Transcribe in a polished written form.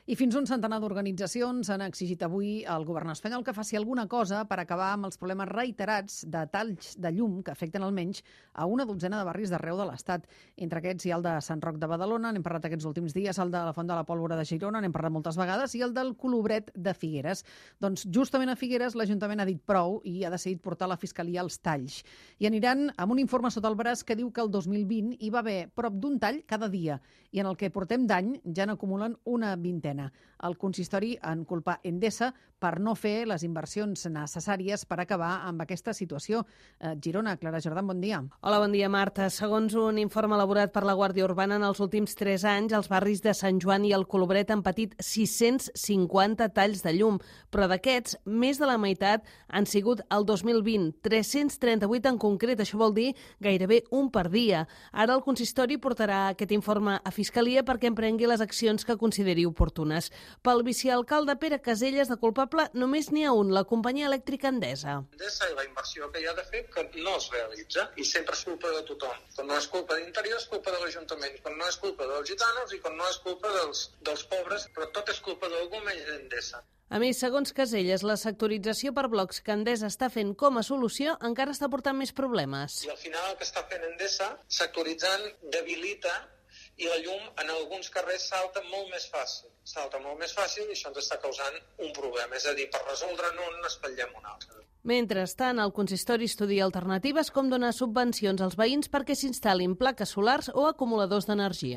I fins un centenar d'organitzacions han exigit avui al govern espanyol que faci alguna cosa per acabar amb els problemes reiterats de talls de llum que afecten almenys a una dotzena de barris d'arreu de l'Estat. Entre aquests hi ha el de Sant Roc de Badalona, n'hem parlat aquests últims dies, el de la Font de la Pólvora de Girona, n'hem parlat moltes vegades, i el del Colobret de Figueres. Doncs justament a Figueres l'Ajuntament ha dit prou i ha decidit portar a la Fiscalia els talls. I aniran amb un informe sota el braç que diu que el 2020 hi va haver prop d'un tall cada dia i en el que portem d'any ja n'acumulen una vintena. El consistori en culpa Endesa per no fer les inversions necessàries per acabar amb aquesta situació. Girona, Clara Jordan, bon dia. Hola, bon dia, Marta. Segons un informe elaborat per la Guàrdia Urbana, en els últims 3 anys els barris de Sant Joan i el Colobret han patit 650 talls de llum, però d'aquests, més de la meitat han sigut el 2020, 338 en concret, això vol dir gairebé un per dia. Ara el consistori portarà aquest informe a Fiscalia perquè emprengui les accions que consideri oportunes. Pel vicealcalde Pere Caselles, de culpable només n'hi ha un, la companyia elèctrica Endesa. Endesa i la inversió que hi ha de fer que no es realitza i sempre és culpa de tothom. Quan no és culpa d'Interior és culpa de l'Ajuntament, quan no és culpa dels gitanos i quan no és culpa dels pobres, però tot és culpa d'algú menys d'Endesa. A més, segons Caselles, la sectorització per blocs que Endesa està fent com a solució encara està portant més problemes. I al final el que està fent Endesa, sectoritzant, debilita i la llum en alguns carrers salta molt més fàcil. Salta molt més fàcil i això ens està causant un problema. És a dir, per resoldre'n un, n'espatllem un altre. Mentrestant, el consistori estudia alternatives com donar subvencions als veïns perquè s'instal·lin plaques solars o acumuladors d'energia.